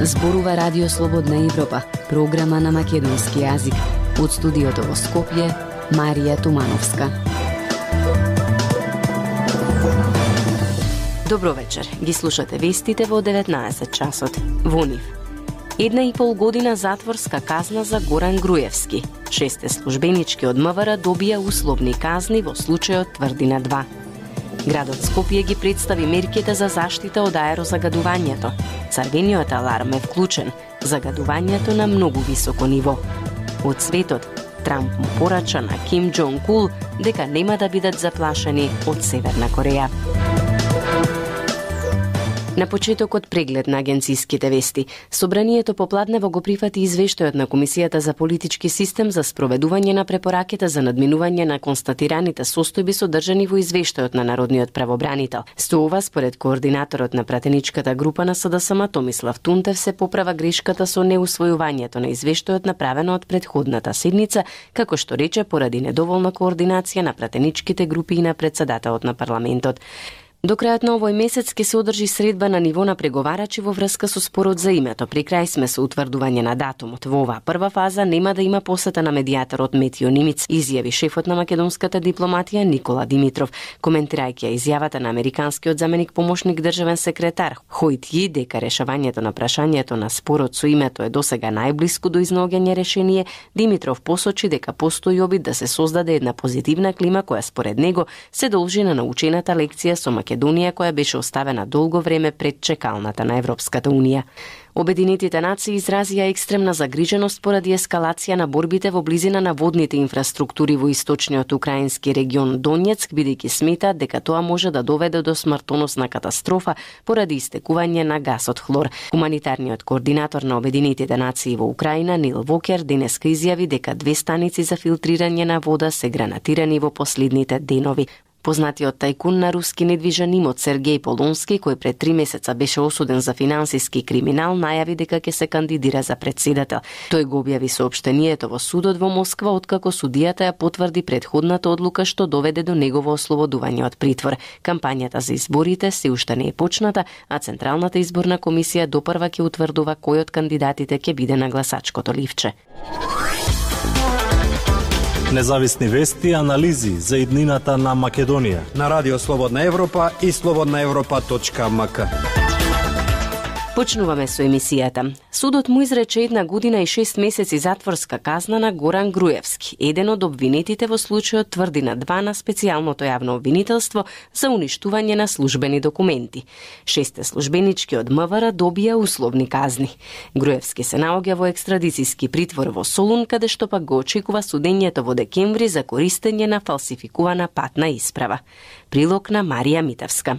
Зборува Радио Слободна Европа, програма на македонски јазик. Од студиото во Скопје, Марија Тумановска. Добро вечер. Ги слушате вестите во 19 часот. Во нив. 1,5 година затворска казна за Горан Груевски. 6 службенички од МВР добија условни казни во случајот Тврдина 2. Градот Скопје ги представи мерките за заштита од аерозагадувањето. Црвениот аларм е вклучен. Загадувањето на многу високо ниво. Од светот, Трамп му порача на Ким Џонг Ун дека нема да бидат заплашени од Северна Кореја. На почетокот преглед на агенциските вести. Собранието попладнево го прифати извештајот на Комисијата за политички систем за спроведување на препораките за надминување на констатираните состојби содржани во извештајот на Народниот правобранител. Со ова, според координаторот на пратеничката група на СДСМ Томислав Тунтев, се поправа грешката со неусвојувањето на извештајот направено од претходната седница, како што рече поради недоволна координација на пратеничките групи и на председателот на парламентот. До крајот на овој месец ќе се одржи средба на ниво на преговарачи во врска со спорот за името. При крај сме со утврдување на датумот. Во оваа прва фаза нема да има посета на медијаторот Метио Нимиц, изјави шефот на македонската дипломатија Никола Димитров, коментирајќи изјавата на американскиот заменик помошник државен секретар Хојт Ји дека решавањето на прашањето на спорот со името е досега најблиску до изнаоѓање решение. Димитров посочи дека постои обид да се создаде една позитивна клима која според него се должи на научената лекција со Македонија која беше оставена долго време пред чекалната на Европската Унија. Обединетите нации изразија екстремна загриженост поради ескалација на борбите во близина на водните инфраструктури во источниот украински регион Донецк, бидејќи сметаат дека тоа може да доведе до смртоносна катастрофа поради истекување на гасот хлор. Хуманитарниот координатор на Обединетите нации во Украина Нил Вокер денеска изјави дека 2 станици за филтрирање на вода се гранатирани во последните денови. Познатиот тајкун на руски недвижен имот Сергеј Полонски, кој пред 3 месеца беше осуден за финансиски криминал, најави дека ќе се кандидира за председател. Тој го објави соопштението во судот во Москва, откако судијата ја потврди претходната одлука што доведе до негово ослободување од притвор. Кампањата за изборите се уште не е почната, а Централната изборна комисија допрва ќе утврдува кој од кандидатите ќе биде на гласачкото ливче. Независни вести и анализи за иднината на Македонија на Радио Слободна Европа и slobodnaevropa.mk. Почнуваме со емисијата. Судот му изрече 1 година и 6 месеци затворска казна на Горан Груевски, еден од обвинетите во случајот Тврдина 2 на специјалното јавно обвинителство за уништување на службени документи. 6 службенички од МВР добија условни казни. Груевски се наоѓа во екстрадицијски притвор во Солун, каде што пак го очекува судењето во декември за користење на фалсификувана патна исправа. Прилог на Марија Митевска.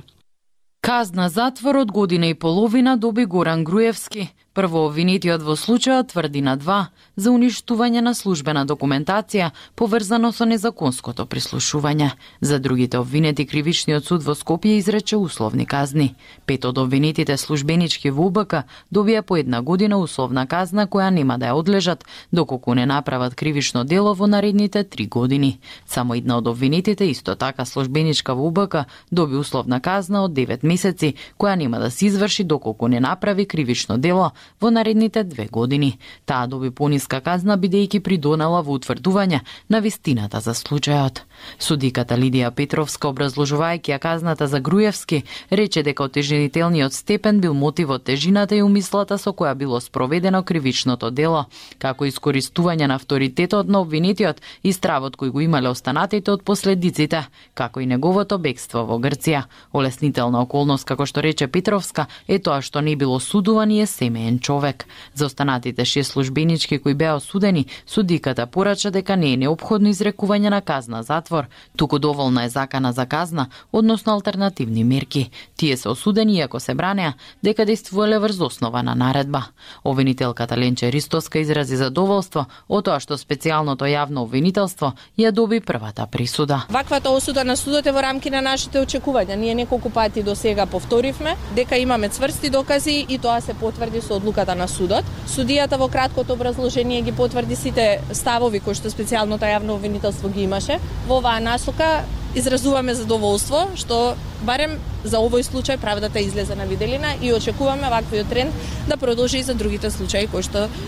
Казна затвор од година и половина доби Горан Груевски, прво обвинетиот во случајот Тврдина 2 за уништување на службена документација поврзано со незаконското прислушување. За другите обвинети кривичниот суд во Скопје изрече условни казни. 5 од обвинетите службенички во УБК добија по 1 година условна казна која нема да ја одлежат доколку не направат кривично дело во наредните 3 години. Само една од обвинетите, исто така службеничка во УБК, доби условна казна од 9 месеци која нема да се изврши доколку не направи кривично дело во наредните 2 години. Таа доби пониска казна бидејќи придонела во утврдување на вистината за случајот. Судиката Лидија Петровска, образложувајќи ја казната за Груевски, рече дека отежнителниот степен бил мотивот тежината и умислата со која било спроведено кривичното дело, како искористување на авторитетот на обвинетиот и стравот кој го имале останатите од последиците, како и неговото бегство во Грција. Олеснителна околност, како што рече Петровска, е тоа што не било судуван и е семеен човек. За останатите 6 службенички кои беа осудени, судиката порача дека не е неопходно изрекување на казна затвор, туку доволна е закана за казна, односно алтернативни мерки. Тие се осудени иако се бранеа дека действувале врз основа на наредба. Обвинителката Ленче Ристоска изрази задоволство од тоа што специјалното јавно обвинителство ја доби првата присуда. Ваквата осуда на судот е во рамки на нашите очекувања. Ние неколку пати до сега повторивме дека имаме цврсти докази и тоа се потврди со одлуката на судот. Судијата во краткото образложение ги потврди сите ставови кои што специјалното јавно обвинителство ги имаше. Во оваа насока изразуваме задоволство што барем за овој случај правдата излезе на виделина и очекуваме ваквиот тренд да продолжи и за другите случаи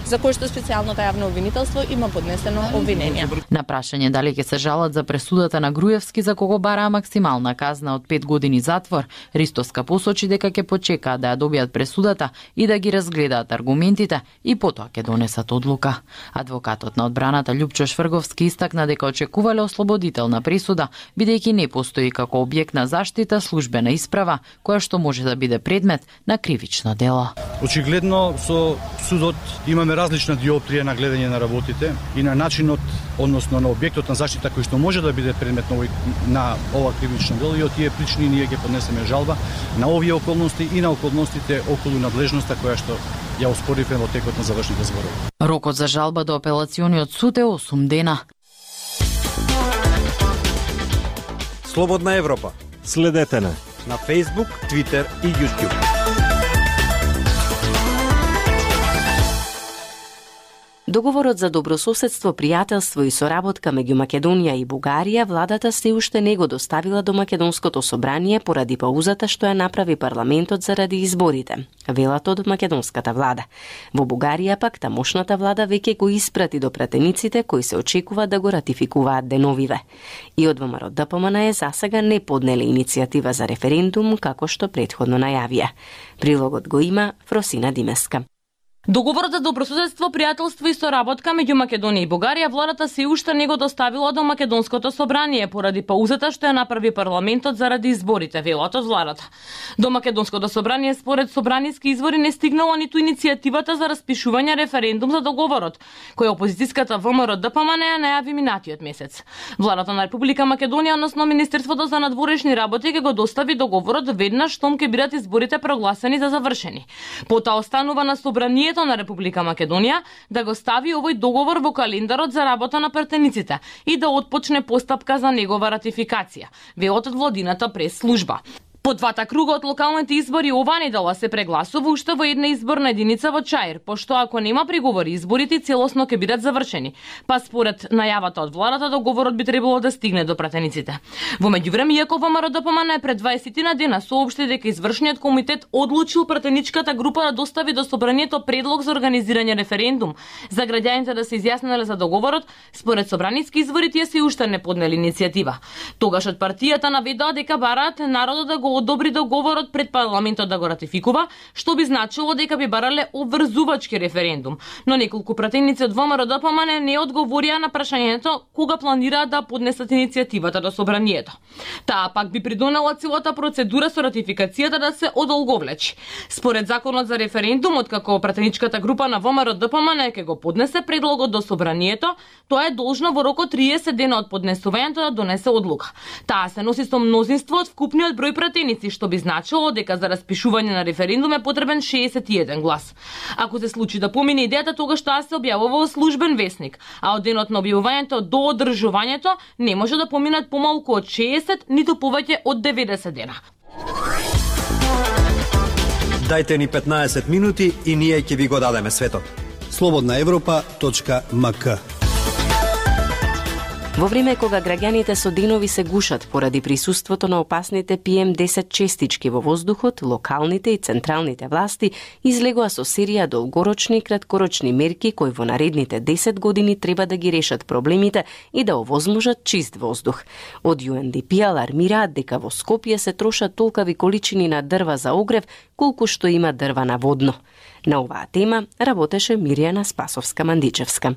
за кои што специјалното јавно обвинителство има поднесено обвинение. На прашање дали ќе се жалат за пресудата на Груевски за кого бараа максимална казна од 5 години затвор, Ристовска посочи дека ќе почекаат да ја добијат пресудата и да ги разгледаат аргументите и потоа ќе донесат одлука. Адвокатот на одбраната Љупчо Шврговски истакна дека очекувале ослободителна пресуда, бидејќи не постои како објект на заштита службена исправа која што може да биде предмет на кривично дело. Очигледно со судот имаме различна диоптрија на гледање на работите и на начинот, односно на објектот на заштита кој што може да биде предмет на ова кривично дело, и од тие причини ние ќе поднесеме жалба на овие околности и на околностите околу надлежноста која што ја оспоривме во текот на завршните зборови. Рокот за жалба до апелациониот суд е 8 дена. Слободна Европа. Следете на Facebook, Twitter и YouTube. Договорот за добрососедство, пријателство и соработка меѓу Македонија и Бугарија владата се уште не го доставила до Македонското собрание поради паузата што ја направи парламентот заради изборите, велат од македонската влада. Во Бугарија пак тамошната влада веќе го испрати до пратениците кои се очекува да го ратификуваат деновиве. И од ВМРО ДПМН засега не поднеле иницијатива за референдум како што претходно најавија. Прилогот го има Фросина Димеска. Договорот за добрососедство, пријателство и соработка меѓу Македонија и Бугарија владата се уште не го доставила до Македонското собрание поради паузата што ја направи парламентот заради изборите, велат од владата. До Македонското собрание според собраниски извори не стигнала ниту иницијативата за распишување референдум за договорот, кој опозицијската ВМРО ДПМН ја најави минатиот месец. Владата на Република Македонија, односно Министерството за надворешни работи, ќе го достави договорот веднаш штом ќе бидат изборите прогласени за завршени. Потоа останува на собранието на Република Македонија да го стави овој договор во календарот за работа на пратениците и да отпочне постапка за негова ратификација, велат од владината прес-служба. По двата круга од локалните избори оваа недела се прегласува уште во една изборна единица во Чаир, пошто ако нема приговори, изборите целосно ќе бидат завршени. Па според најавата од владата, договорот би требало да стигне до пратениците. Во меѓувреме, иако ВМРО ДПМН пред 20 на дена соопшти дека извршниот комитет одлучил пратеничката група да достави до собранието предлог за организирање референдум за граѓаните да се изјаснеле за договорот, според собраниски извори тие се уште не поднели иницијатива. Тогаш од партијата наведоа дека бараат народот да го одобри договорот пред парламентот да го ратификува, што би значило дека би барале обврзувачки референдум. Но неколку пратеници од ВМРО ДПМН не одговорија на прашањето кога планираат да поднесат иницијативата до собранието. Таа пак би придонела целата процедура со ратификацијата да се одолговлечи. Според законот за референдумот, како пратеничката група на ВМРО ДПМН ќе го поднесе предлогот до собранието, тоа е должно во рок од 30 дена од поднесувањето да донесе одлука. Таа се носи со мнозинство од вкупниот број пратеници, што би значило дека за распишување на референдум е потребен 61 глас. Ако се случи да помине идејата, тогаш таа се објавува во службен весник, а од денот на објавувањето до одржувањето не може да поминат помалку од 60, ниту повеќе од 90 дена. Дајте ни 15 минути и ние ќе ви го дадеме светот. slobodnaevropa.mk. Во време кога граѓаните со денови се гушат поради присуството на опасните PM10 честички во воздухот, локалните и централните власти излегоа со серија долгорочни и краткорочни мерки кои во наредните 10 години треба да ги решат проблемите и да овозможат чист воздух. Од UNDP алармираат дека во Скопје се трошат толкави количини на дрва за огрев колку што има дрва на водно. На оваа тема работеше Мирјана Спасовска-Мандичевска.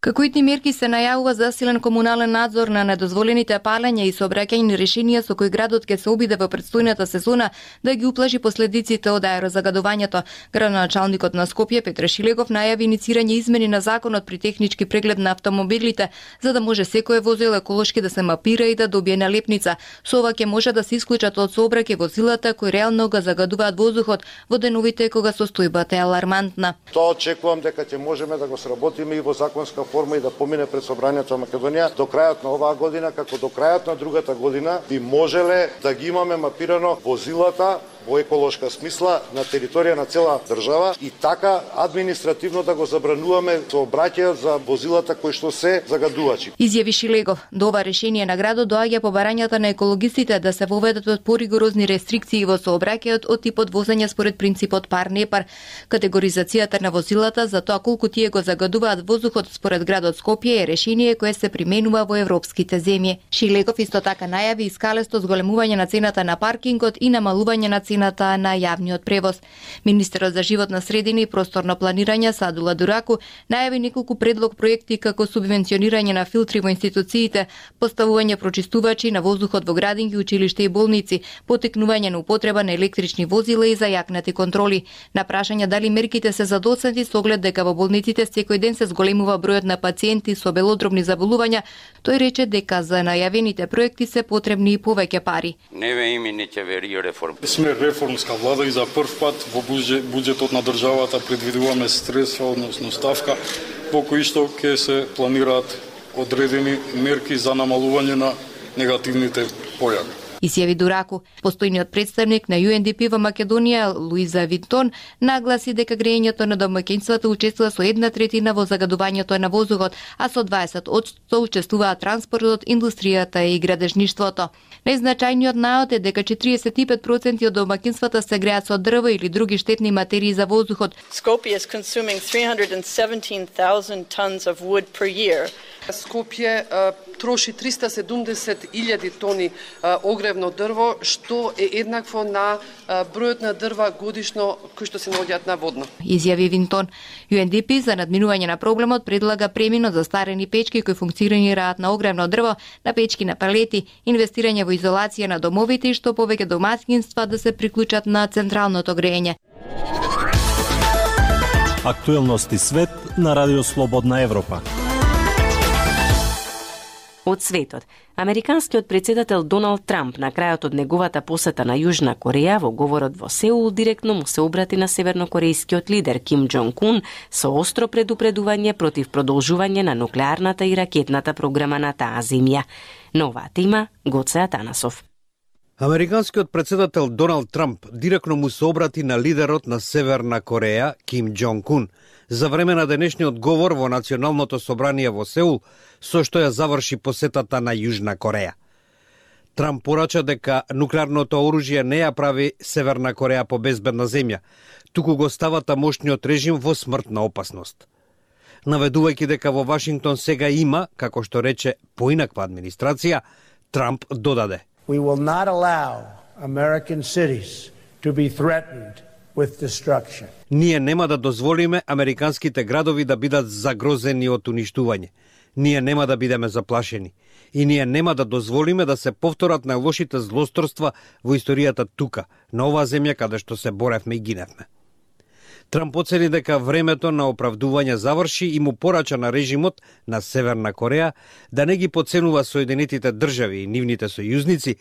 Како итни мерки се најавува засилен комунален надзор на недозволените палења и сообраќајни решенија со кои градот ќе се обиде во претстојната сезона да ги уплажи последиците од аерозагадувањето. Градоначалникот на Скопје Петре Шилегов најави иницирање измени на законот при технички преглед на автомобилите, за да може секое возило еколошки да се мапира и да добие налепница. Со ова ќе може да се исклучат од сообраќај возилата кои реално го загадуваат воздухот во деновите кога состојбата е алармантна. Тоа очекувам дека ќе можеме да го сработиме и во законска форма и да помине пред Собранието на Македонија до крајот на оваа година, како до крајот на другата година би можеле да ги имаме мапирано возилата во еколошка смисла на територија на цела држава и така административно да го забрануваме сообраќајот за возилата кои што се загадувачи. Изјави Шилегов. До ова решение на градот доаѓа по барањата на екологистите да се воведат поригорозни рестрикции во сообраќајот од типот возење според принципот пар не пар, категоризацијата на возилата за тоа колку тие го загадуваат воздухот според градот Скопје е решение кое се применува во европските земји. Шилегов исто така најави искалесто зголемување на цената на паркингот и намалување на цената на јавниот превоз. Министерот за животна средина и просторно планирање Садула Дураку најави неколку предлог проекти како субвенционирање на филтри во институциите, поставување прочистувачи на воздухот во градинки, училишта и болници, потекнување на употреба на електрични возила и зајакнати контроли. На прашање дали мерките се задоцнати со оглед дека во болниците секој ден се зголемува бројот на пациенти со белодробни заболувања, тој рече дека за најавените проекти се потребни и повеќе пари. Сме реформска влада и за прв пат во буџетот на државата предвидуваме средства, односно ставка, во кои што ќе се планираат одредени мерки за намалување на негативните појави. Изјави Дураку. Постојниот представник на UNDP во Македонија, Луиза Винтон, нагласи дека грејењето на домаќинствата учествува со 1/3 во загадувањето на воздухот, а со 20% учествуваат транспортот, индустријата и градежништвото. Најзначајниот наод е дека 45% од домаќинствата се греат со дрво или други штетни материи за воздухот. Skopje is consuming 317,000 tons of wood per year. Скопје троши 370.000 тони огревно дрво, што е еднакво на бројот на дрва годишно кои што се наоѓаат на водно. Изјави Винтон. UNDP за надминување на проблемот предлага премино за старени печки кои функционираат на огревно дрво, на печки на палети, инвестирање во изолација на домовите и што повеќе домаќинства да се приклучат на централното грејење. Актуелности свет на Радио Слободна Европа. Од светот, американскиот председател Доналд Трамп на крајот од неговата посета на Јужна Кореја во говорот во Сеул директно му се обрати на севернокорејскиот лидер Ким Џонг Ун со остро предупредување против продолжување на нуклеарната и ракетната програма на таа земја. На оваа тема Гоце Атанасов. Американскиот председател Доналд Трамп директно му се обрати на лидерот на Северна Кореја Ким Џонг Ун за време на денешниот говор во Националното собрание во Сеул, со што ја заврши посетата на Јужна Кореја. Трамп порача дека нуклеарното оружје не ја прави Северна Кореја по безбедна земја, туку го става тамошниот режим во смртна опасност. Наведувајќи дека во Вашингтон сега има, како што рече, поинаква администрација, Трамп додаде: We will not allow American cities to be threatened with destruction. Ние нема да дозволиме американските градови да бидат загрозени од уништување. Ние нема да бидеме заплашени. И ние нема да дозволиме да се повторат најлошите злосторства во историјата тука, на оваа земја каде што се боревме и гиневме. Трамп оцени дека времето на оправдување заврши и му порача на режимот на Северна Кореја да не ги подценува Соединетите држави и нивните сојузници,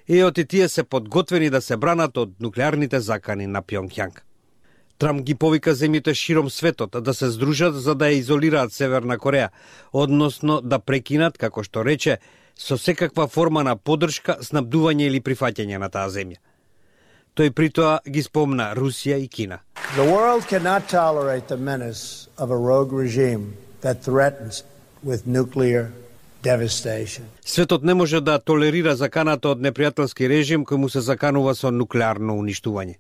и оти тие се подготвени да се бранат од нуклеарните закани на Пјонгјанг. Трамп ги повика земјите широм светот да се здружат за да ја изолираат Северна Кореја, односно да прекинат, како што рече, со секаква форма на поддршка, снабдување или прифаќање на таа земја. Тој притоа ги спомна Русија и Кина. The world cannot tolerate the menace of a rogue regime that threatens with nuclear devastation. Светот не може да толерира заканата од непријателски режим кој му се заканува со нуклеарно уништување.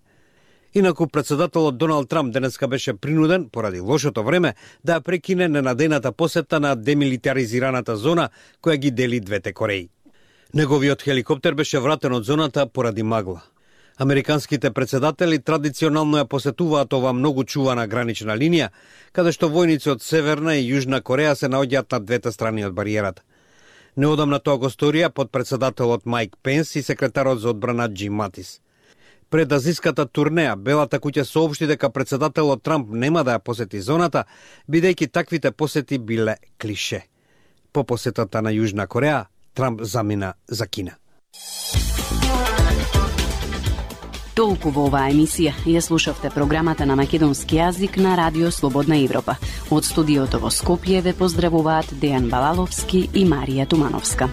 Инаку председателот Доналд Трамп денеска беше принуден, поради лошото време, да прекине ненадејната посета на демилитаризираната зона која ги дели двете Кореи. Неговиот хеликоптер беше вратен од зоната поради магла. Американските председатели традиционално ја посетуваат ова многу чувана гранична линија, каде што војници од Северна и Јужна Кореја се наоѓаат на двете страни од бариерата. Неодамна тоа го сторија подпредседателот Майк Пенс и секретарот за одбрана Џим Матис. Пред азиската турнеја, Белата куќа соопшти дека председателот Трамп нема да ја посети зоната, бидејќи таквите посети биле клише. По посетата на Јужна Кореја, Трамп замина за Кина. Толку во оваа емисија. Ја слушавте програмата на македонски јазик на Радио Слободна Европа. Од студиото во Скопје ве поздравуваат Дејан Балаловски и Марија Тумановска.